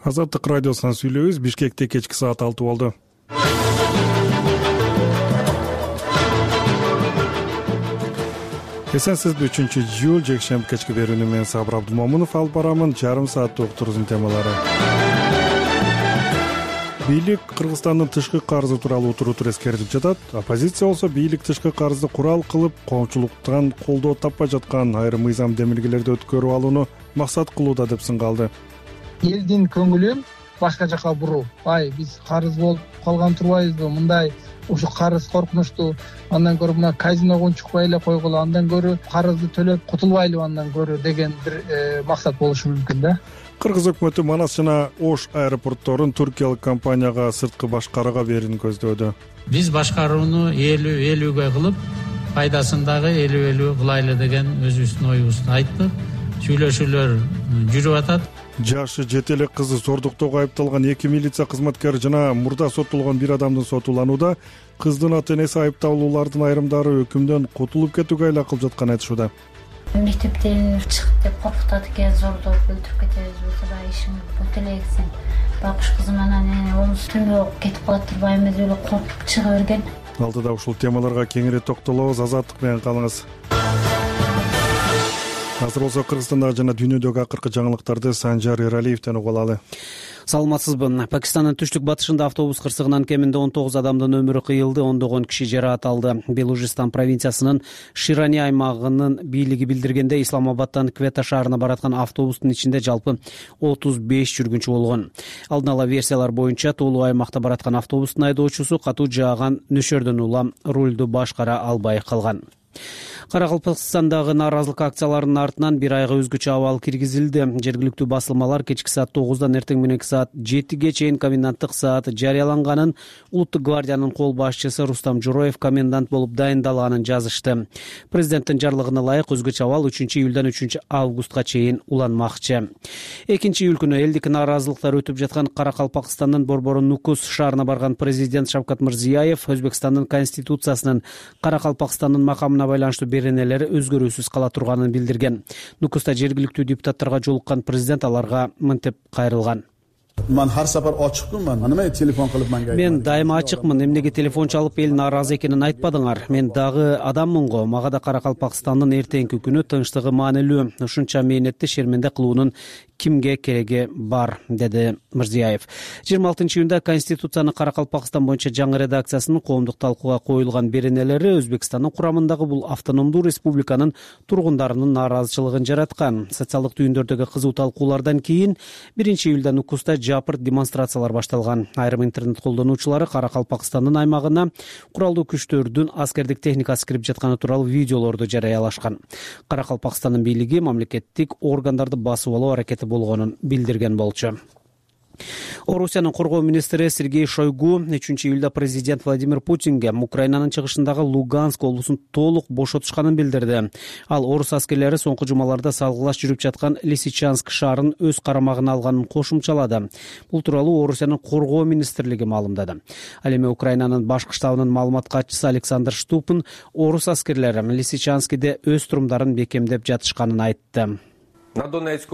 Азаттык радиосунан сүйлөйбүз. Бишкекте кечки саат 6 болду. Эсенсизби 3-июль жекшемби кечки берүүнү мен Сабыр Абдумомунов алып барамын. Жарым сааттык уктуруусунун темалары. Бийлик Кыргызстандын тышкы карызы тууралуу утур эскертип жатат. Оппозиция болсо бийлик тышкы карызды курал кылып, коомчулуктан колдоо таппай жаткан айрым мыйзам демилгелерди өткөрүп алууну максат кылууда деп сынгалды. Элдин көңүлүн башка жака буруу. Биз карыз болуп калган турбайбызбы? Мындай ушу карыз коркунучтуу. Андан көрө мына казиного унчукпай эле койгула, андан көрө карызды төлөп кутулбайлы андан көрө деген бир максат болушу мүмкүн да. Кыргыз өкмөтү Манас жана Ош аэропортторун туркиялык компанияга сырткы башкарууга берүүнү көздөөдө. Биз башкарууну 50-50ге кылып, пайдасын дагы 50-50 кылайлы деген өзүбүздүн оюбузду айттык. Сүйлөшүүлөр жүрүп атат. Жашы 7 элек кызы зордуктоого айыпталган 2 милиция кызматкери жана мурда соттолгон бир адамдын сотуланууда кыздын ата-энеси айыпталуулардын айрымдары өкүмдөн кутулуп кетүүгө айла кылып жатканын айтышууда. Мектептен чыгып деп коркутат экен, зордоп өлтүрүп кетебиз болсо баягы ишиң бут элексиң. Бакыш кызым анан онусу түнөө кетип калат турбайбыз эле коркуп чыга берген. Алдыда ушул темаларга кеңири токтолобуз. Азаттык менен калыңыз. Азыр болсо Кыргызстандагы жана дүйнөдөгү акыркы жаңылыктарды Санжар Эралиевден угуп алалы. Саламатсызбы? Пакистандын түштүк батышында автобус кырсыгынан кеминде 19 адамдын өмүрү кыйылды, ондогон киши жаракат алды. Белужистан провинциясынын Ширани аймагынын бийлиги билдиргенде, Исламабадтан Квета шаарына бараткан автобустун ичинде жалпы 35 жүргүнчү болгон. Алдын ала версиялар боюнча тоолуу аймакта бараткан автобустун айдоочусу катуу жааган нөшөрдөн улам рулду башкара албай калган. Каракалпакстандагы нааразылык акцияларынын артынан бир айга өзгөчө абал киргизилди. Жергиликтүү басылмалар кечки саат 9-дан эртең мененки саат 7ге чейин коменданттык саат жарыяланганын, Улуттук гвардиянын кол башчысы Рустам Журоев комендант болуп дайындалганын жазышты. Президенттин жарлыгына ылайык өзгөчө абал 3-июлдан 3-августка чейин уланмакчы. 2-июль күнү элдик нааразылыктар өтүп жаткан Каракалпакстандын борбору Нукус шаарына барган президент Шавкат Мирзиёев Өзбекстандын конституциясынын Каракалпакстандын макамына байланыштуу беренелери өзгөрүүсүз кала турганын билдирген. Нукуста жергиликтүү депутаттарга жолуккан президент аларга мынтип кайрылган. Мен har safar ochiqman. Nima telefon qilib menga? Мен дайыма ачыкмын. Эмнеге телефон чалып эл нааразы экенин айтпадыңар? Мен дагы адаммын го. Мага да Каракалпакстандын эртеңки күнү тынчтыгы маанилүү. Ушунча мээнетти шерменде кылуунун кимге кереги бар, деди Мирзиёев. 26-июнда Конституцияны Каракалпакстан боюнча жаңы редакциясынын коомдук талкууга коюлган беренелери Өзбекстандын курамындагы бул автономдуу республиканын тургундарынын нааразычылыгын жараткан. Социалдык түйүндөрдөгү кызуу талкуулардан кийин 1-июлда Нукуста жапырт демонстрациялар башталган. Айрым интернет колдонуучулары Каракалпакстандын аймагына куралдуу күчтөрдүн аскердик техникасы кирип жатканы тууралуу видеолорду жарыялашкан. Каракалпакстандын бийлиги мамлекеттик органдарды басып алуу аракети болгонун билдирген болчу. Орусиянын коргоо министри Сергей Шойгу 3-июлда президент Владимир Путинге Украинанын чыгышындагы Луганск облусун толук бошотушканын билдирди. Ал орус аскерлери соңку жумаларда салгылаш жүрүп жаткан Лисичанск шаарын өз карамагына алганын кошумчалады. Бул тууралуу Орусиянын коргоо министрлиги маалымдады. Ал эми Украинанын башкы штабынын маалымат катчысы Александр Штупин орус аскерлери Лисичанскиде өз турумдарын бекемдеп жатышканын айтты. Донецк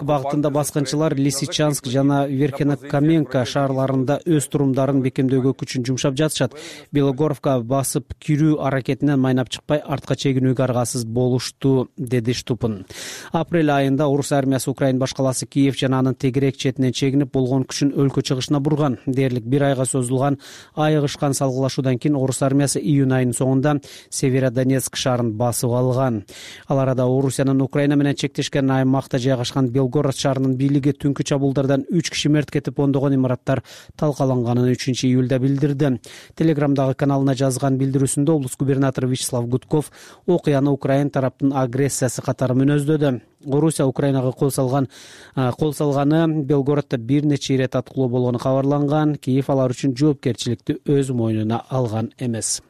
багытында баскынчылар Лисичанск жана Верхенокаменка шаарларында өз турумдарын бекемдөөгө күчүн жумшап жатышат. Белогоровка басып кирүү аракетинен майнап чыкпай артка чегинүүгө аргасыз болушту, деди Штупин. Апрель айында орус армиясы Украин башкаласы Киев жана анын тегерек четинен чегинип болгон күчүн өлкө чыгышына бурган. Дээрлик бир айга созулган айыгышкан салгылашуудан кийин орус армиясы июнь айынын соңунда Северодонецк шаарын басып алган. Ал арада Орусиянын Украина менен чектешкен аймакта жайгашкан Белгород шаарынын бийлиги түнкү чабуулдардан 3 киши мерт кетип, ондогон имараттар талкаланганын 3-июлда билдирди. Телеграмдагы каналына жазган билдирүүсүндө облус губернатору Вячеслав Гудков окуяны Украин тараптын агрессиясы катары мүнөздөдү. Орусия Украинага кол салганы Белгороддо бир нече ирет аткылоо болгону кабарланган. Киев алар үчүн жоопкерчиликти өз мойнуна алган эмес.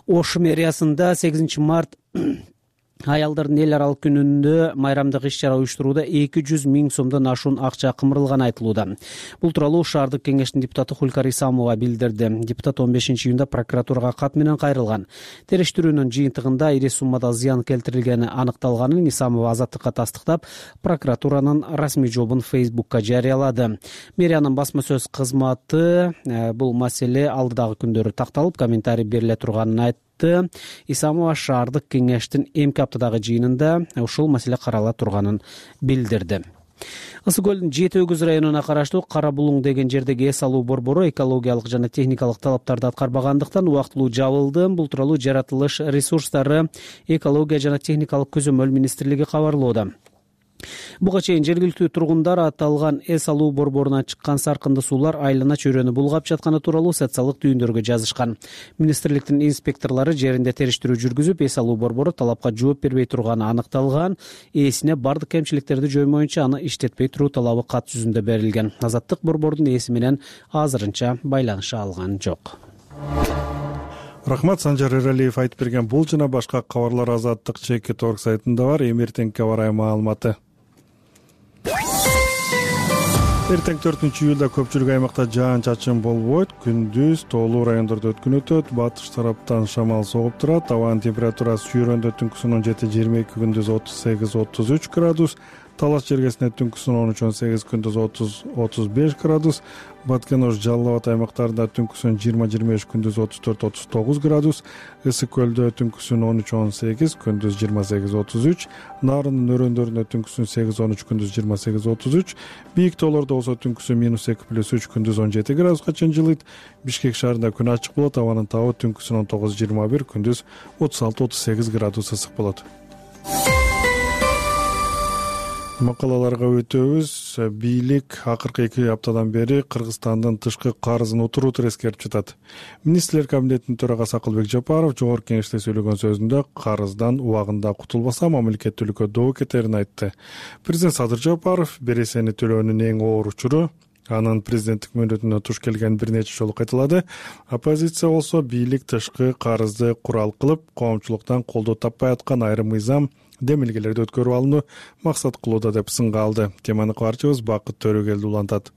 Ош мэриясында 8 март Аялдардын эл аралык күнүндө майрамдык иш-чара уюштурууда 200 000 сомдон ашуун акча кымырылганы айтылууда. Бул тууралуу шаардык кеңештин депутаты Хулкар Исамова билдирди. Депутат 15-июнда прокуратурага кат менен кайрылган. Териштирүүнүн жыйынтыгында ири суммада зыян келтирилгени аныкталганын Исамова Азаттыкка тастыктап, прокуратуранын расмий жообун Facebook'ка жарыялады. Мэриянын басма сөз кызматы бул маселе алдыдагы күндөрү такталып, комментарий бериле турганын айтты. Исамова шаардык кеңештин эмки аптадагы жыйынында ушул маселе карала турганын билдирди. Ысык көлдүн Жети Өгүз районуна караштуу Кара Булуң деген жердеги эс алуу борбору экологиялык жана техникалык талаптарды аткарбагандыктан убактылуу жабылды. Бул тууралуу жаратылыш ресурстары, экология жана техникалык көзөмөл министрлиги кабарлоодо. Буга чейин жергиликтүү тургундар аталган эс алуу борборунан чыккан саркынды суулар айлана чөйрөнү булгап жатканы тууралуу социалдык түйүндөргө жазышкан. Министрликтин инспекторлору жеринде териштирүү жүргүзүп, эс алуу борбору талапка жооп бербей турганы аныкталган. Ээсине бардык кемчиликтерди жоймоюнча аны иштетпей туруу талабы кат жүзүндө берилген. Азаттык борбордун ээси менен азырынча байланыша алган жок. Рахмат, Санжар Эралиев айтып берген бул жана башка кабарлар Азаттык ЧК.org сайтында бар. Эмертеңке карай маалыматы. Эртең 4-июлда көпчүлүк аймакта жаан-чачын болбойт. Күндүз тоолуу райондордо өткүн өтөт. Батыш тараптан шамал согуп турат. Абанын температурасы Шүйрөндө түнкүсүн 17-22, күндүз 38-33 градус. Талас жергесинде түнкүсүн 13-18, күндүз 30-35 градус. Баткен Ош, Жалал Абад аймактарында түнкүсүн 20-23, күндүз 34-39 градус. Ысык көлдө түнкүсүн 13-18, күндүз 28-33. Нарындын өрөөндөрүндө түнкүсүн 8-13, күндүз 28-33. Бийик тоолордо болсо түнкүсүн -2+3, күндүз 17 градуска чейин жылыйт. Бишкек шаарында күн ачык болот. Абанын табы түнкүсүн 19-21, күндүз 36-38 градус ысык болот. Макалаларга өтөбүз. Бийлик акыркы 2 аптадан бери Кыргызстандын тышкы карызын утур-утур эскерип жатат. Министрлер кабинетинин төрагасы Акылбек Жапаров жогорку кеңеште сөйлөгөн сөзүндө карыздан убагында кутулбаса мамлекеттүүлүккө доо кетерин айтты. Президент Садыр Жапаров бересени төлөөнүн эң оор учуру анын президенттик мөөнөтүнө туш келген бир нече жолу кайталады. Оппозиция болсо бийлик тышкы карызды курал кылып, коомчулуктан колдоо таппай аткан айрым мыйзам демилгелерди өткөрүп алууну максат кылууда деп сынга алды. Теманы кабарчыбыз Бакыт Төрөгелди улантат.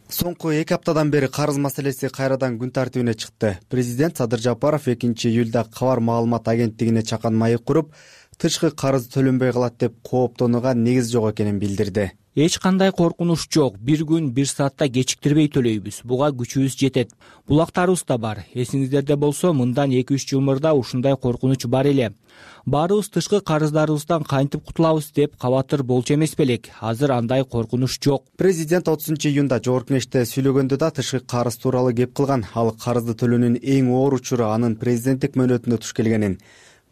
Соңку 2 аптадан бери карыз маселеси кайрадан күн тартибине чыкты. Президент Садыр Жапаров 2-июлда Кабар маалымат агенттигине чакан майып куруп, тышкы карыз төлөнбөй калат деп кооптонууга негиз жок экенин билдирди. Эч кандай коркунуч жок. Бир күн, бир саатта кечиктирбей төлөйбүз. Буга күчүбүз жетет. Булактарыбыз да бар. Эсиңиздерде болсо, мындан 2-3 жыл мурда ушундай коркунуч бар эле. Баарыбыз тышкы карыздарыбыздан кантип кутулабыз деп кабатыр болчу эмес белек. Азыр андай коркунуч жок. Президент 30-июнда жогорку кеңеште сөйлөгөндө да тышкы карыз тууралуу кеп кылган. Ал карызды төлөөнүн эң оор учуру анын президенттик мөөнөтүндө туш келгенин.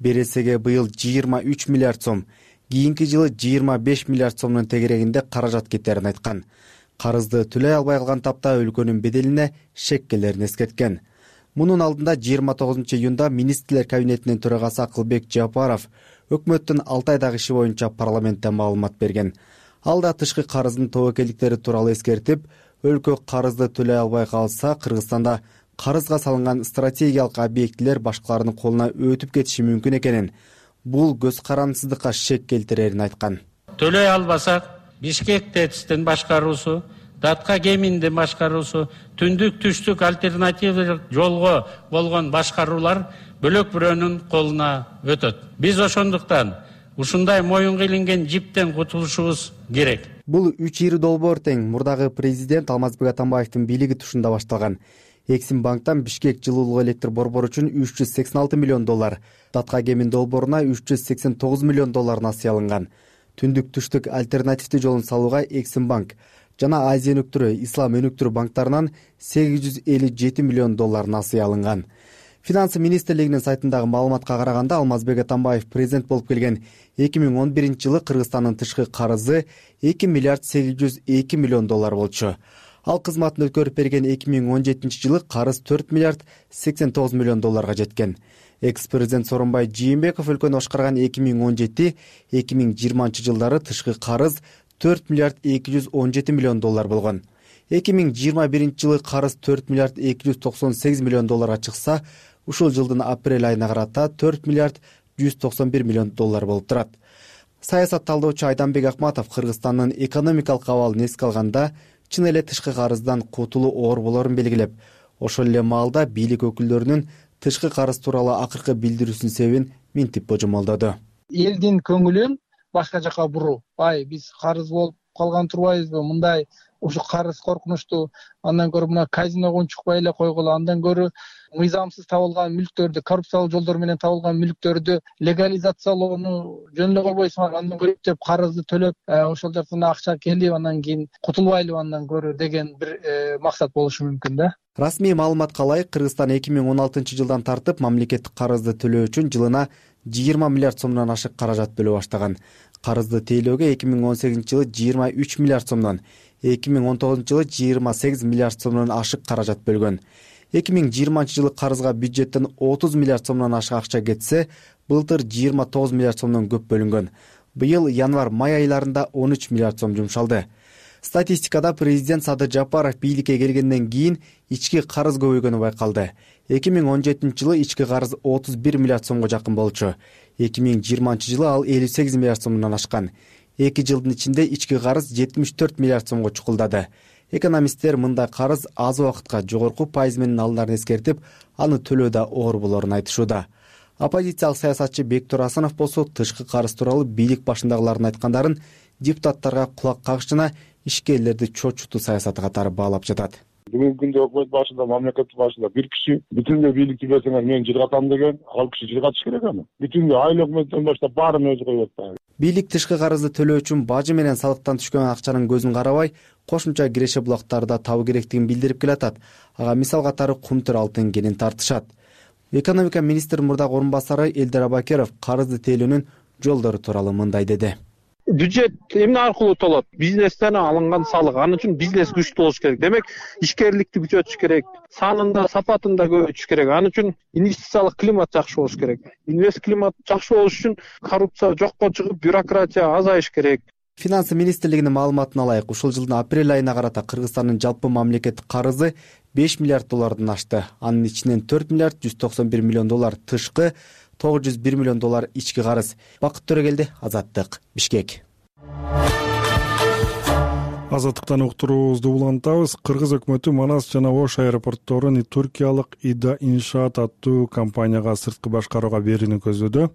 Бересеге быйыл 23 миллиард сом, кийинки жылы 25 миллиард сомдун тегерегинде каражат кетерин айткан. Карызды төлөй албай калган тапта өлкөнүн беделине шеккелерин эскерткен. Мунун алдында 29-июнда министрлер кабинетинин төрагасы Акылбек Жапаров өкмөттүн 6 айдагы иши боюнча парламентте маалымат берген. Ал да тышкы карыздын тобокелдиктери тууралуу эскертип, өлкө карызды төлөй албай калса, Кыргызстанда карызга салынган стратегиялык объектилер башкалардын колуна өтүп кетиши мүмкүн экенин, бул көз карандысыздыкка шек келтирерин айткан. Төлөй албасак, Бишкек ТЭЦтин башкаруусу, Датка Кеминдин башкаруусу, түндүк түштүк альтернативдик жолго болгон башкаруулар бөлөк бирөөнүн колуна өтөт. Биз ошондуктан ушундай моюнга илинген жиптен кутулушубуз керек. Бул 3 ири долбоор тең мурдагы президент Алмазбек Атамбаевдин бийлиги тушунда башталган. Эксимбанктан Бишкек жылуулук электр борбору үчүн $386 миллион, Датка Кемин долбооруна $389 миллион насыя алынган. Түндүк түштүк альтернативдүү жолун салууга Эксимбанк жана Азия өнүктүрүү, Ислам өнүктүрүү банктарынан $857 миллион насыя алынган. Финансы министрлигинин сайтындагы маалыматка караганда, Алмазбек Атамбаев президент болуп келген 2011 жылы Кыргызстандын тышкы карызы $2 миллиард 802 миллион болчу. Ал кызматын өткөрүп берген 2017 жылы карыз $4 миллиард 89 миллион жеткен. Экс-президент Сооронбай Жээнбеков өлкөнү башкарган 2017-2020 жылдары тышкы карыз $4 миллиард 217 миллион болгон. 2021 жылы карыз $4 миллиард 298 миллион чыкса, ушул жылдын апрель айына карата $4 миллиард $191 миллион болуп турат. Саясат талдоочу Айданбек Акматов Кыргызстандын экономикалык абалын эске алганда чын эле тышкы карыздан кутулуу оор болорун белгилеп, ошол эле маалда бийлик өкүлдөрүнүн тышкы карыз тууралуу акыркы билдирүүсүнүн себебин мынтип божомолдоду. Элдин көңүлүн башка жака буруу. Биз карыз болуп калган турбайбызбы? Мындай ушу карыз коркунучтуу. Андан көрө мына казиного унчукпай эле койгула. Андан көрө мыйзамсыз табылган мүлктөрдү, коррупциялык жолдор менен табылган мүлктөрдү легализациялоону жөн эле койбойсуңар. Андан көрө деп карызды төлөп, ошол жактан акча келип, андан кийин кутулбайлы андан көрө деген бир максат болушу мүмкүн да. Расмий маалыматка ылайык, Кыргызстан 2016-жылдан тартып мамлекеттик карызды төлөө үчүн жылына 20 миллиард сомдон ашык каражат бөлө баштаган. Карызды тейлөөгө 2018-жылы 23 миллиард сомдон, 2019-жылы 28 миллиард сомдон ашык каражат бөлгөн. 2020-жылы карызга бюджеттен 30 миллиард сомдон ашык акча кетсе, былтыр 29 миллиард сомдон көп бөлүнгөн. Быйыл январь-май айларында 13 миллиард сом жумшалды. Статистикада президент Садыр Жапаров бийликке келгенден кийин ички карыз көбөйгөнү байкалды. 2017-жылы ички карыз 31 миллиард сомго жакын болчу. 2020-жылы ал 58 миллиард сомдон ашкан. 2 жылдын ичинде ички карыз 74 миллиард сомго чукулдады. Экономисттер мындай карыз аз убакытка жогорку пайыз менен алынарын эскертип, аны төлөөдө оор болорун айтышууда. Оппозициялык саясатчы Бектур Асанов болсо тышкы карыз тууралуу бийлик башындагылардын айткандарын депутаттарга кулак кагыш жана ишкерлерди чочутуу саясаты катары баалап жатат. Бүгүнкү күндө өкмөт башында, мамлекет башында бир киши бүтүндөй бийликти берсеңер мен жыргатам деген, ал киши жыргатыш керек аны. Бүтүндөй айыл өкмөттөн баштап баарын өзү коюп атат. Бийлик тышкы карызды төлөө үчүн бажы менен салыктан түшкөн акчанын көзүн карабай, кошумча киреше булактарды табуу керектигин билдирип келатат. Ага мисал катары Кумтөр алтын кенин тартышат. Экономика министри мурдагы орун басары Элдер Абакеров карызды тейлөөнүн жолдору тууралуу мындай деди. Бюджет эмне аркылуу толот? Бизнестен алынган салык. Анын үчүн бизнес күчтүү болуш керек. Демек, ишкерликти күчөтүш керек, санында, сапатында көбөйтүш керек. Анын үчүн инвестициялык климат жакшы болуш керек. Инвест климат жакшы болуш үчүн коррупция жокко чыгып, бюрократия азайыш керек. Финансы министрлигинин маалыматына ылайык, ушул жылдын апрель айына карата Кыргызстандын жалпы мамлекеттик карызы $5 миллиард ашты. Анын ичинен $4 миллиард 191 миллион тышкы, $901 миллион ички карыз. Бакыт Төрөгелди, Азаттык, Бишкек. Азаттыктан уктуруубузду улантабыз. Кыргыз өкмөтү Манас жана Ош аэропортторун туркиялык Ида Иншаат аттуу компанияга сырткы башкарууга берүүнү көздөдө.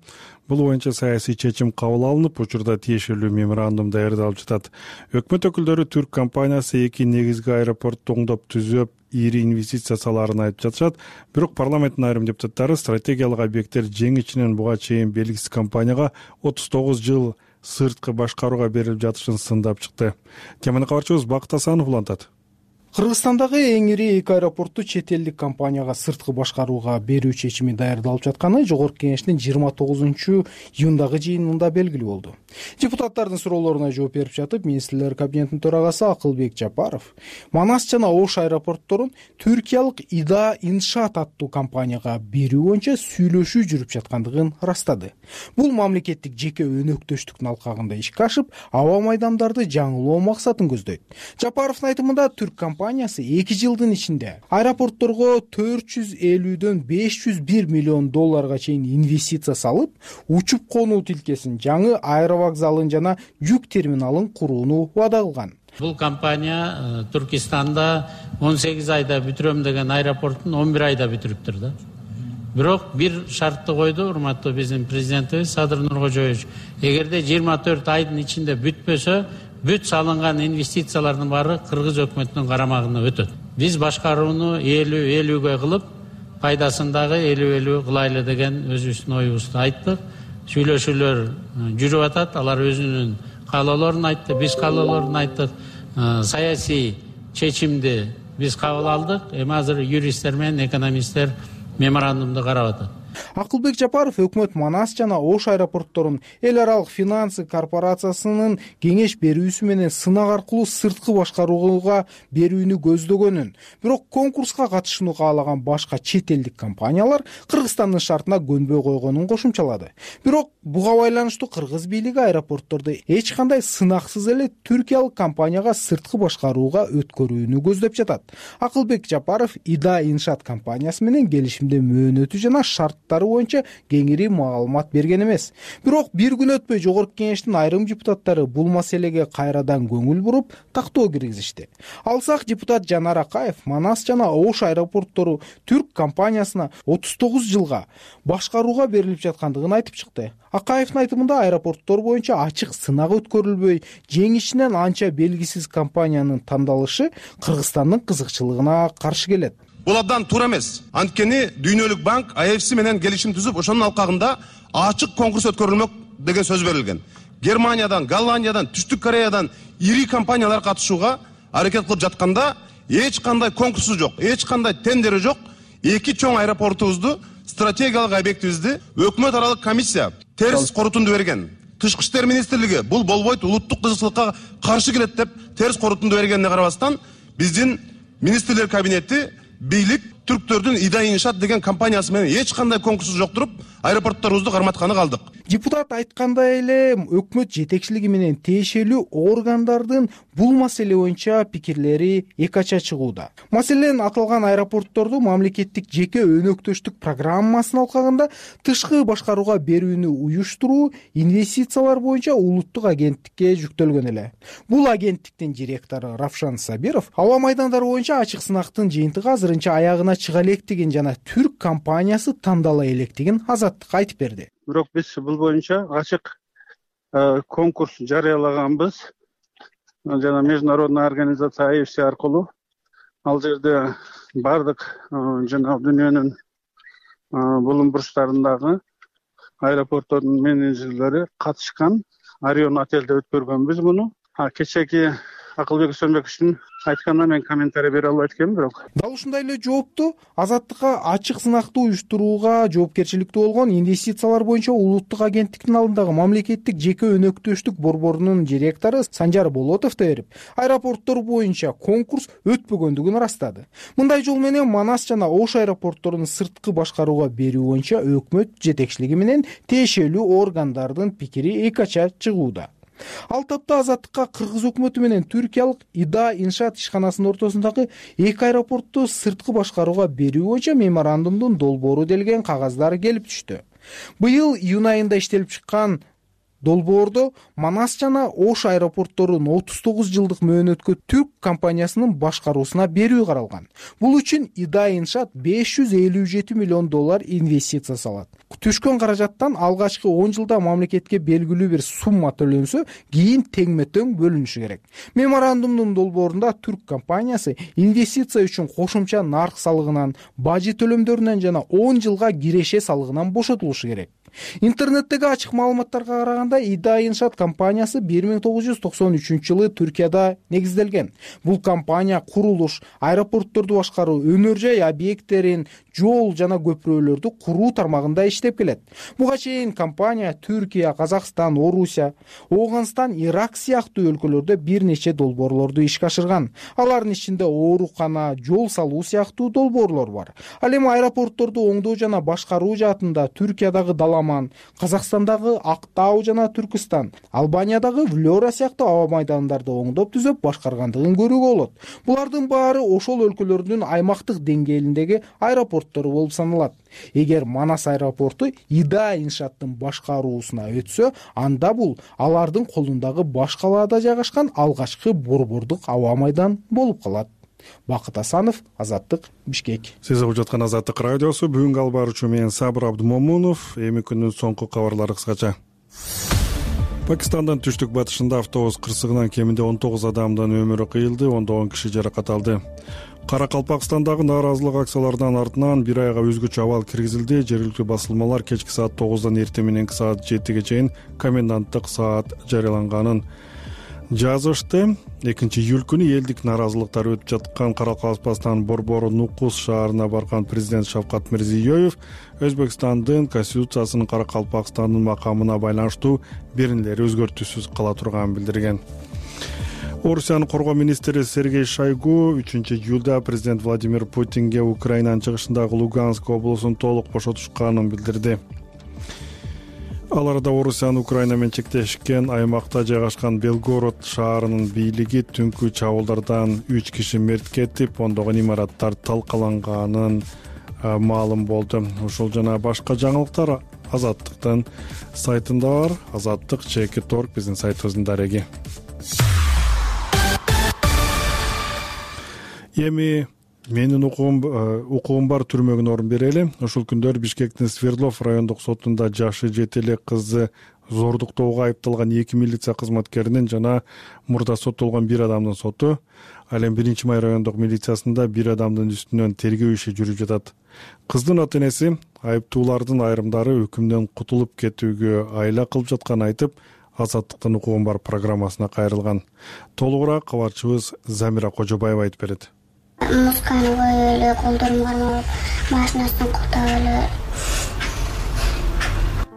Бул боюнча саясий чечим кабыл алынып, учурда тиешелүү меморандум даярдалып жатат. Өкмөт өкүлдөрү түрк компаниясы эки негизги аэропортту оңдоп түзөп, ири инвестиция салаарын айтып жатышат. Бирок парламенттин айрым депутаттары стратегиялык объекттер жең ичинен буга чейин белгисиз компанияга 39 жыл сырткы башкарууга берилип жатышын сындап чыкты. Теманы кабарчыбыз Бакыт Асанов улантат. Кыргызстандагы эң ири эки аэропортту чет элдик компанияга сырткы башкарууга берүү чечими даярдалып жатканы Жогорку Кеңештин 29-июндагы жыйынында белгилүү болду. Депутаттардын суроолоруна жооп берип жатып, министрлер кабинетинин төрагасы Акылбек Жапаров Манас жана Ош аэропортторун түркиялык Ида Иншаат аттуу компанияга берүү боюнча сүйлөшүү жүрүп жаткандыгын ырастады. Бул мамлекеттик жеке өнөктөштүктүн алкагында ишке ашып, аба майдамдарды жаңылоо максатын көздөйт. Жапаровдун айтымында түрк компаниясы 2 жылдын ичинде аэропортторго 450дөн 501 миллион долларга чейин инвестиция салып, учуп конуу тилкесин, жаңы аэровокзалын жана жүк терминалын курууну убада кылган. Бул компания Түркистанда 18 айда бүтүрөм деген аэропорттун 11 айда бүтүрүптүр да. Бирок бир шартты койду урматтуу биздин президентибиз Садыр Нуркожоевич. Эгерде 24 айдын ичинде бүтпөсө, бүт салынган инвестициялардын баары Кыргыз өкмөтүнүн карамагына өтөт. Биз башкарууну 50-50ге кылып, пайдасын дагы 50-50 кылайлы деген өзүбүздүн оюбузду айттык. Сүйлөшүүлөр жүрүп атат. Алар өзүнүн каалоолорун айтты, биз каалоолорун айттык. Саясий чечимди биз кабыл алдык. Эми азыр юристтер менен экономисттер меморандумду карап атат. Акылбек Жапаров өкмөт Манас жана Ош аэропортторун эл аралык финансы корпорациясынын кеңеш берүүсү менен сынак аркылуу сырткы башкарууга берүүнү көздөгөнүн, бирок конкурска катышууну каалаган башка чет элдик компаниялар Кыргызстандын шартына көнбөй койгонун кошумчалады. Бирок буга байланыштуу кыргыз бийлиги аэропортторду эч кандай сынаксыз эле түркиялык компанияга сырткы башкарууга өткөрүүнү көздөп жатат. Акылбек Жапаров Ида Иншаат компаниясы менен келишимдин мөөнөтү жана шарт маалыматтары боюнча кеңири маалымат берген эмес. Бирок бир күн өтпөй Жогорку Кеңештин айрым депутаттары бул маселеге кайрадан көңүл буруп, тактоо киргизишти. Алсак депутат Жанар Акаев Манас жана Ош аэропорттору түрк компаниясына 39 жылга башкарууга берилип жаткандыгын айтып чыкты. Акаевдин айтымында аэропорттор боюнча ачык сынак өткөрүлбөй, жеңишинен анча белгисиз компаниянын тандалышы Кыргызстандын кызыкчылыгына каршы келет. Бул абдан туура эмес. Анткени Дүйнөлүк банк IFC менен келишим түзүп, ошонун алкагында ачык конкурс өткөрүлмөк деген сөз берилген. Германиядан, Голландиядан, Түштүк Кореядан ири компаниялар катышууга аракет кылып жатканда эч кандай конкурсу жок, эч кандай тендери жок. Эки чоң аэропортубузду, стратегиялык объектибизди өкмөт аралык комиссия терс корутунду берген. Тышкы иштер министрлиги бул болбойт, улуттук кызыкчылыкка каршы келет деп терс корутунду бергенине карабастан, биздин министрлер кабинети бийлик түрктөрдүн Ида Иншаат деген компаниясы менен эч кандай конкурсу жок туруп, аэропортторубузду карматканы калдык. Депутат айткандай эле өкмөт жетекчилиги менен тиешелүү органдардын бул маселе боюнча пикирлери эки ача чыгууда. Маселен аталган аэропортторду мамлекеттик жеке өнөктөштүк программасынын алкагында тышкы башкарууга берүүнү уюштуруу инвестициялар боюнча улуттук агенттикке жүктөлгөн эле. Бул агенттиктин директору Равшан Сабиров аба майдандары боюнча ачык сынактын жыйынтыгы азырынча аягына чыга электигин жана түрк компаниясы тандала электигин Азаттыкка айтып берди. Бирок биз бул боюнча ачык конкурс жарыялаганбыз. Жана международный организация IFC аркылуу ал жерде бардык жана дүйнөнүн булум бурчтарындагы аэропорттордун менеджерлери катышкан. Орион отелде өткөргөнбүз муну. Кечеки Акылбек Өсөнбековичтин айтканына мен комментарий бере албайт экенмин, бирок дал ушундай эле жоопту Азаттыкка ачык сынакты уюштурууга жоопкерчиликтүү болгон инвестициялар боюнча улуттук агенттиктин алдындагы мамлекеттик жеке өнөктөштүк борборунун директору Санжар Болотов да берип, аэропорттор боюнча конкурс өтпөгөндүгүн ырастады. Мындай жол менен Манас жана Ош аэропортторун сырткы башкарууга берүү боюнча өкмөт жетекчилиги менен тиешелүү органдардын пикири эки ача чыгууда. Ал тапта Азаттыкка Кыргыз өкмөтү менен түркиялык Ида Иншаат ишканасынын ортосундагы эки аэропортту сырткы башкарууга берүү боюнча меморандумдун долбоору делген кагаздар келип түштү. Быйыл июнь айында иштелип чыккан долбоордо Манас жана Ош аэропортторун 39 жылдык мөөнөткө түрк компаниясынын башкаруусуна берүү каралган. Бул үчүн Ида Иншаат $557 миллион инвестиция салат. Түшкөн каражаттан алгачкы 10 жылда мамлекетке белгилүү бир сумма төлөнсө, кийин теңме-тең бөлүнүшү керек. Меморандумдун долбоорунда түрк компаниясы инвестиция үчүн кошумча нарк салыгынан, бажы төлөмдөрүнөн жана 10 жылга киреше салыгынан бошотулушу керек. Интернеттеги ачык маалыматтарга караганда Ида Иншаат компаниясы 1993 жылы Түркияда негизделген. Бул компания курулуш, аэропортторду башкаруу, өнөр жай объекттерин, жол жана көпүрөлөрдү куруу тармагында иштеп келет. Буга чейин компания Түркия, Казакстан, Орусия, Ооганстан, Ирак сыяктуу өлкөлөрдө бир нече долбоорлорду ишке ашырган. Алардын ичинде оорукана, жол салуу сыяктуу долбоорлор бар. Ал эми аэропортторду оңдоо жана башкаруу жаатында Түркиядагы Даламан, Казакстандагы Актау жана Түркистан, Албаниядагы Влёра сыяктуу аба майдандарды оңдоп түзөп башкаргандыгын көрүүгө болот. Булардын баары ошол өлкөлөрдүн аймактык деңгээлиндеги аэропорттору болуп саналат. Эгер Манас аэропорту Ида Иншааттын башкаруусуна өтсө, анда бул алардын колундагы баш калаада жайгашкан алгачкы борбордук аба майдан болуп калат. Бакыт Асанов, Азаттык, Бишкек. Сиз угуп жаткан Азаттык радиосу. Бүгүнкү албар үчүн мен Сабыр Абдумомунов. Эми күндүн соңку кабарлары кыскача. Пакистандын түштүк батышында автобус кырсыгынан кеминде 19 адамдын өмүрү кыйылды, ондогон киши жаракат алды. Каракалпакстандагы нааразылык акцияларынын артынан бир айга өзгөчө абал киргизилди. Жергиликтүү басылмалар кечки саат 9-дан эртең мененки саат 7-ге чейин коменданттык саат жарыяланганын жазышты. 2-июль күнү элдик нааразылыктар өтүп жаткан Каракалпакстан борбору Нукус шаарына барган президент Шавкат Мирзиёев Өзбекстандын конституциясынын Каракалпакстандын макамына байланыштуу беренелери өзгөртүүсүз кала турганын билдирген. Орусиянын коргоо министри Сергей Шойгу 3-июлда президент Владимир Путинге Украинанын чыгышындагы Луганск облусун толук бошотушканын билдирди. Ал арада Орусиянын Украина менен чектешкен аймакта жайгашкан Белгород шаарынын бийлиги түнкү чабуулдардан 3 киши мерт кетип, ондогон имараттар талкаланганын маалым болду. Ушул жана башка жаңылыктар Азаттыктын сайтында бар. Азаттык.org биздин сайтыбыздын дареги. Эми менин укугум бар түрмөгүнө орун берели. Ушул күндөр Бишкектин Свердлов райондук сотунда жашы 7 элек кызды зордуктоого айыпталган 2 милиция кызматкеринин жана мурда соттолгон бир адамдын соту. Ал эми 1-май райондук милициясында бир адамдын үстүнөн тергөө иши жүрүп жатат. Кыздын ата-энеси айыптуулардын айрымдары өкүмдөн кутулуп кетүүгө айла кылып жатканын айтып, Азаттыктын укугум бар программасына кайрылган. Толугураак кабарчыбыз Замира Кожобаева айтып берет. Мусканы коюп эле, колдорум кармалып, машинасынан куктап эле.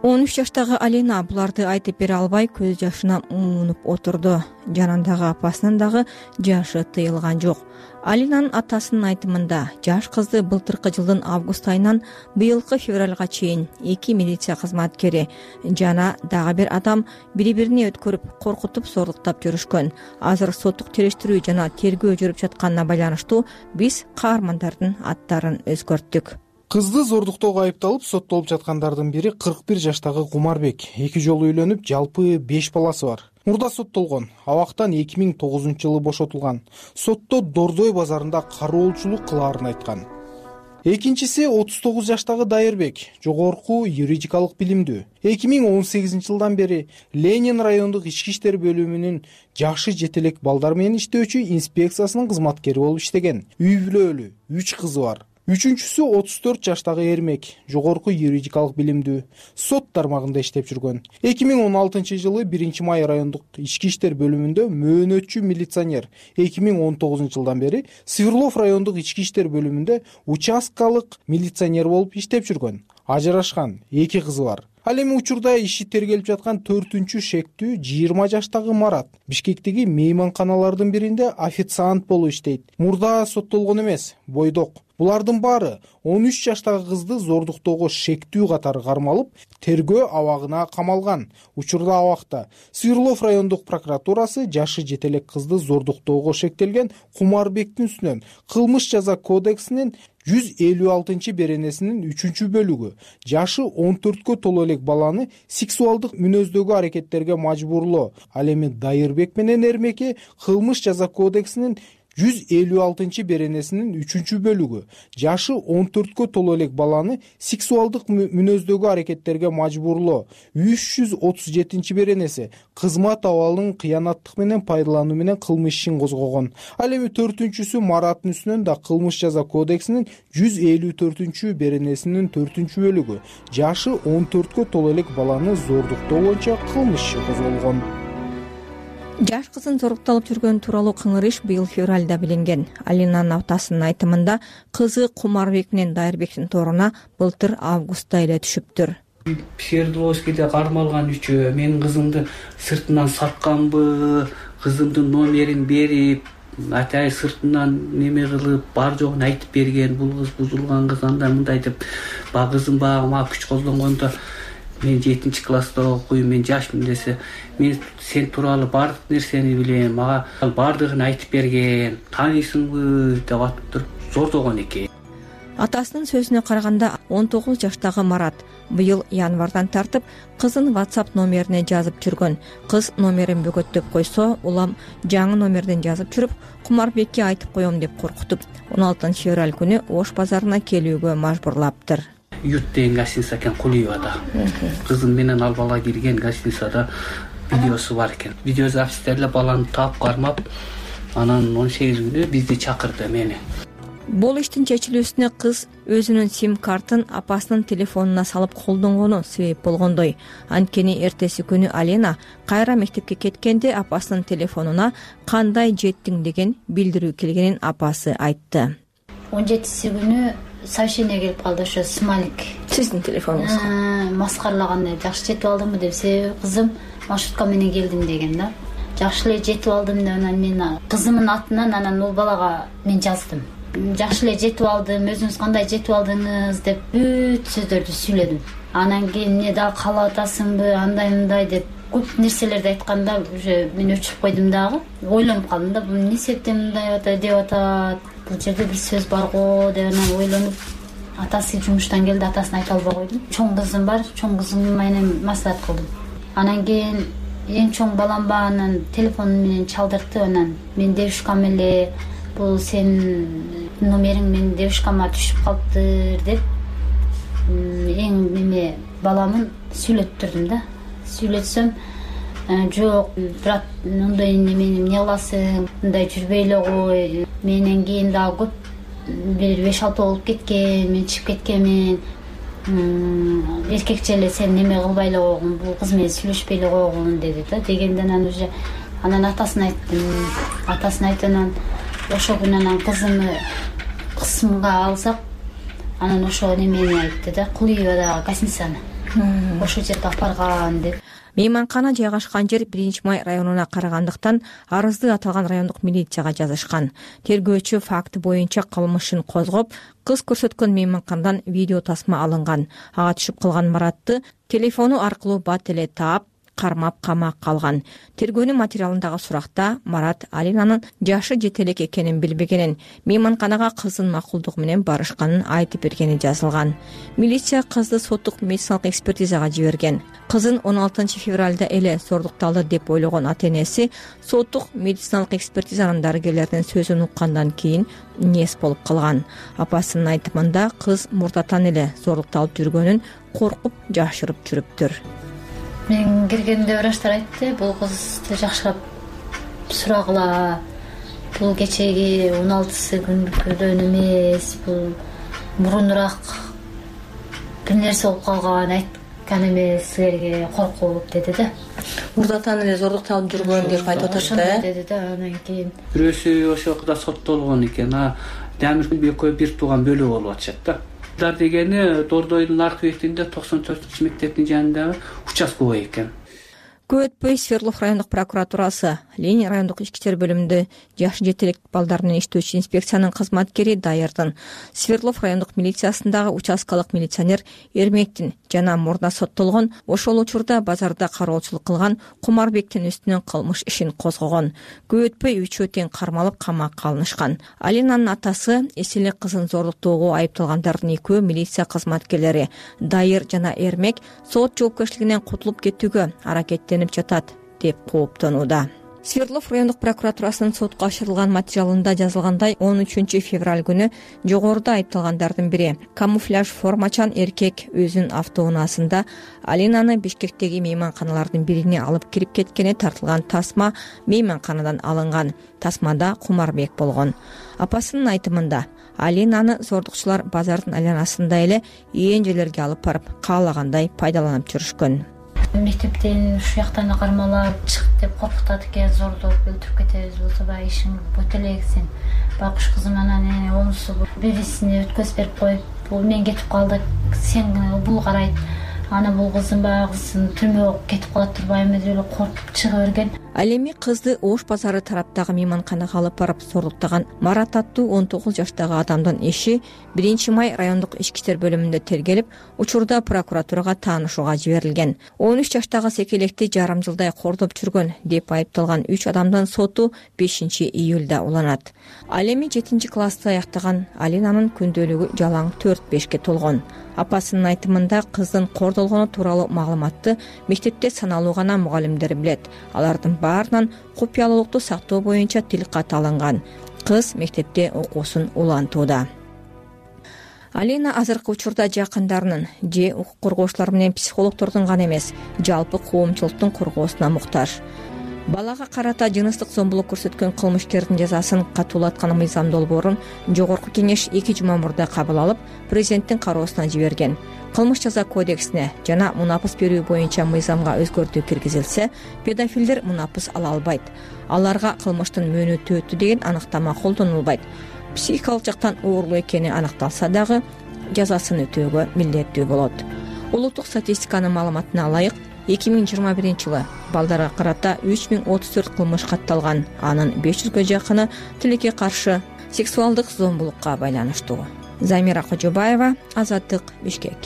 13 жаштагы Алина буларды айтып бере албай көз жашына муунуп отурду. Жанындагы апасынын дагы жашы тыйылган жок. Алинанын атасынын айтымында жаш кызды былтыркы жылдын август айынан быйылкы февралга чейин 2 милиция кызматкери жана дагы бир адам бири-бирине өткөрүп, коркутуп, зордуктап жүрүшкөн. Азыр соттук териштирүү жана тергөө жүрүп жатканына байланыштуу биз каармандардын аттарын өзгөрттүк. Кызды зордуктоого айыпталып соттолуп жаткандардын бири 41 жаштагы Кумарбек. 2 жолу үйлөнүп, жалпы 5 баласы бар. Мурда соттолгон. Абактан 2009-жылы бошотулган. Сотто Дордой базарында кароолчулук кылаарын айткан. Экинчиси 39 жаштагы Дайырбек, жогорку юридикалык билимдүү. 2018-жылдан бери Ленин райондук ички иштер бөлүмүнүн жашы жетелек балдар менен иштөөчү инспекциясынын кызматкери болуп иштеген. Үй бүлөлүү, 3 кызы бар. Үчүнчүсү 34 жаштагы Эрмек, жогорку юридикалык билимдүү, сот тармагында иштеп жүргөн. 2016-жылы 1-май райондук ички иштер бөлүмүндө мөөнөтчү милиционер, 2019-жылдан бери Свердлов райондук ички иштер бөлүмүндө участкалык милиционер болуп иштеп жүргөн. Ажырашкан, 2 кызы бар. Ал эми учурда иши тергелип жаткан 4-түнчү шектүү 20 жаштагы Марат Бишкектеги мейманканалардын биринде официант болуп иштейт. Мурда соттолгон эмес, бойдок. Булардын баары 13 жаштагы кызды зордуктоого шектүү катары кармалып, тергөө абагына камалган. Учурда абакта Свердлов райондук прокуратурасы жашы жетелек кызды зордуктоого шектелген Кумарбектин үстүнөн кылмыш жаза кодексинин 156-беренесинин 3-бөлүгү жашы 14кө толо элек баланы сексуалдык мүнөздөгү аракеттерге мажбурлоо, ал эми Дайырбек менен Эрмеке кылмыш жаза кодексинин 156-беренесинин 3-бөлүгү жашы 14кө толо элек баланы сексуалдык мүнөздөгү аракеттерге мажбурлоо, 337-беренеси кызмат абалын кыянаттык менен пайдалануу менен кылмыш ишин козгогон. Ал эми 4-түнчүсү Мараттын үстүнөн да кылмыш жаза кодексинин 154-беренесинин 4-бөлүгү жашы 14кө толо элек баланы зордуктоо боюнча кылмыш иши козголгон. Жаш кыздын зорукталып жүргөнү тууралуу кыңыр иш быйыл февралда билинген. Алинанын атасынын айтымында кызы Кумарбек менен Дайырбектин торуна былтыр августта эле түшүптүр. Свердловскийде кармалган үчөө менин кызымды сыртынан сатканбы, кызымдын номерин берип, атай сыртынан неме кылып, бар жогун айтып берген. Бул кыз бузулган кыз, андай мындай деп, баягы кызым баягы мага күч колдонгондо мен 7-класста окуйм, мен жашмын десе, мен сен тууралуу баардык нерсени билем, мага баардыгын айтып берген, тааныйсыңбы деп атып туруп зордогон экен. Атасынын сөзүнө караганда 19 жаштагы Марат быйыл январдан тартып кызын WhatsApp номерине жазып жүргөн. Кыз номерин бөгөттөп койсо, улам жаңы номерден жазып жүрүп, Кумарбекке айтып коем деп коркутуп, 16 февраль күнү Ош базарына келүүгө мажбурлаптыр. Ют деген гостиница экен, Кулиевада. Кызым менен ал бала кирген гостиницада видеосу бар экен. Видеозапистерде баланы таап кармап, анан 18 күнү бизди чакырды мени. Бул иштин чечилүүсүнө кыз өзүнүн сим-картын апасынын телефонуна салып колдонгону себеп болгондой. Анткени эртеси күнү Алина кайра мектепке кеткенде апасынын телефонуна кандай жеттиң деген билдирүү келгенин апасы айтты. 17-си күнү сообщение келип калды, ошо смайлик. Сиздин телефонуңузга маскаралагандай, жакшы жетип алдымбы деп, себеби кызым маршрутка менен келдим деген да. Жакшы эле жетип алдым деп, анан мен кызымдын атынан анан ул балага мен жаздым. Жакшы эле жетип алдым, өзүңүз кандай жетип алдыңыз деп бүт сөздөрдү сүйлөдүм. Анан кийин эмне дагы каалап атасыңбы, андай мындай деп көп нерселерди айтканда, уже мен өчүрүп койдум дагы. Ойлонуп калдым да, бул эмне себептен мындай деп атат, бул жерде бир сөз бар го деп анан ойлонуп атасы жумуштан келди, атасына айта албай койдум. Чоң кызым бар, чоң кызым менен маслихат кылдым. Анан кийин эң чоң балам бар, анан телефон менен чалдыртты. Анан мен девушкам эле, бул сенин номериң менин девушкама түшүп калыптыр деп эң неме баламын сүйлөттүрдүм да. Сүйлөтсөм, жок, брат, мындай немени эмне кыласың, мындай жүрбөй эле кой. Менен кийин дагы көп бир 5-6 болуп кеткен, мен чыгып кеткенмин. Эркекче эле сен неме кылбай эле койгун, бул кыз менен сүйлөшпөй эле койгун деди да. Дегенден анан уже анан атасына айттым. Атасына айтып, анан ошол күнү анан кызымды кысымга алсак, анан ошо немени айтты да, Кулиевадагы гостиницаны. Ошол жерге алып барган деп. Мейманкана жайгашкан жер 1-Май районуна карагандыктан арызды аталган райондук милицияга жазышкан. Тергөөчү факты боюнча кылмышын козгоп, кыз көрсөткөн мейманканадан видео тасма алынган. Ага түшүп калган Маратты телефону аркылуу бат эле таап, кармап камакка алган. Тергөөнүн материалындагы суракта Марат Алинанын жашы жете элек экенин билбегенин, мейманканага кыздын макулдугу менен барышканын айтып бергени жазылган. Милиция кызды соттук медициналык экспертизага жиберген. Кызын 16 февралда эле зордукталды деп ойлогон ата-энеси соттук медициналык экспертизанын дарыгерлердин сөзүн уккандан кийин нес болуп калган. Апасынын айтымында кыз мурдатан эле зордукталып жүргөнүн коркуп жашырып жүрүптүр. Мен киргенде врачтар айтты, бул кызды жакшырап сурагыла, бул кечеги 16 күндүн эмес, бул мурунураак бир нерсе болуп калган, айткан эмес силерге, коркуп деди да. Мурдатан эле зордукталып жүргөн деп айтып атышты да. Деди да, анан кийин бирөөсү ошол кызда соттолгон экен. Дамир экөө бир тууган бөлүү болуп атышат да. Дар дегени Дордойдун аркы бетинде 94-мектептин жанындагы участковый экен. Көп өтпөй Свердлов райондук прокуратурасы Ленин райондук ички иштер бөлүмүндө жашы жете элек балдар менен иштөөчү инспекциянын кызматкери Дайырдын, Свердлов райондук милициясындагы участкалык милиционер Эрмектин жана мурда соттолгон ошол учурда базарда кароочулук кылган Кумарбектин үстүнөн кылмыш ишин козгогон. Көп өтпөй үчөө тең кармалып камакка алынышкан. Алинанын атасы эселик кызын зордуктоого айыпталгандардын экөө милиция кызматкерлери Дайыр жана Эрмек сот жоопкерчилигинен кутулуп кетүүгө аракеттенип жатат деп кооптонууда. Свердлов райондук прокуратурасынын сотко ашырылган материалында жазылгандай, 13 февраль күнү жогоруда айыпталгандардын бири камуфляж формачан эркек өзүнүн автоунаасында Алинаны Бишкектеги мейманканалардын бирине алып кирип кеткени тартылган тасма мейманканадан алынган. Тасмада Кумарбек болгон. Апасынын айтымында Алинаны зордукчулар базардын айланасында эле ээн жерлерге алып барып, каалагандай пайдаланып жүрүшкөн. Мектептен ушу жактан кармалап чык деп коркутат экен, зордоп өлтүрүп кетебиз болсо баягы ишиң бөтө элек сен. Байкуш кызым анан онусу бирисине өткөзүп берип коюп, бул мен кетип калдык, сен бул карайт. Аны бул кызым баягы кызын түрмөгө кетип калат турбайбы деп эле коркуп чыга берген. Ал эми кызды Ош базары тараптагы мейманканага алып барып зордуктаган Марат аттуу 19 жаштагы адамдын иши 1-Май райондук ички иштер бөлүмүндө тергелип, учурда прокуратурага таанышууга жиберилген. 13 жаштагы секелекти жарым жылдай кордоп жүргөн деп айыпталган 3 адамдын соту 5 июлда уланат. Ал эми 7 классты аяктаган Алинанын күндөлүгү жалаң 4-5ке толгон. Апасынын айтымында кыздын кордолгону тууралуу маалыматты мектепте саналуу гана мугалимдер билет. Алардын баарынан купуялуулукту сактоо боюнча тил кат алынган. Кыз мектепте окуусун улантууда. Алина азыркы учурда жакындарынын же укук коргоочулар менен психологдордун гана эмес, жалпы коомчулуктун коргоосуна муктаж. Балага карата жыныстык зомбулук көрсөткөн кылмышкердин жазасын катуулаткан мыйзам долбоорун жогорку кеңеш 2 жума мурда кабыл алып, президенттин кароосуна жиберген. Кылмыш жаза кодексине жана мунапыс берүү боюнча мыйзамга өзгөртүү киргизилсе, педофилдер мунапыс ала албайт. Аларга кылмыштын мөөнөтү өттү деген аныктама колдонулбайт. Психикалык жактан оорлуу экени аныкталса дагы жазасын өтөөгө милдеттүү болот. Улуттук статистиканын маалыматына ылайык, 2021 жылы балдарга карата 3034 кылмыш катталган, анын 500гө жакыны тилекке каршы сексуалдык зомбулукка байланыштуу. Замира Кожобаева, Азаттык, Бишкек.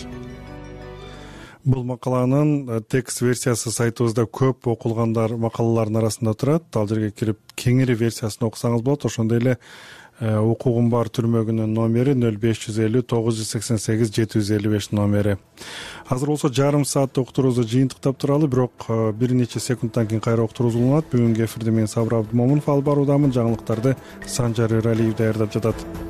Бул макаланын текст версиясы сайтыбызда көп окулгандар макалалардын арасында турат. Ал жерге кирип кеңири версиясын окусаңыз болот. Ошондой эле укугум бар түрмөгүнүн номери 0550 988 755 номери. Азыр болсо жарым сааттык уктуруубузду жыйынтыктап туралы, бирок бир нече секундтан кийин кайра уктуруубуз уланат. Бүгүнкү эфирде мен Сабыр Абдымомунов алып баруудамын. Жаңылыктарды Санжар Эралиев даярдап жатат.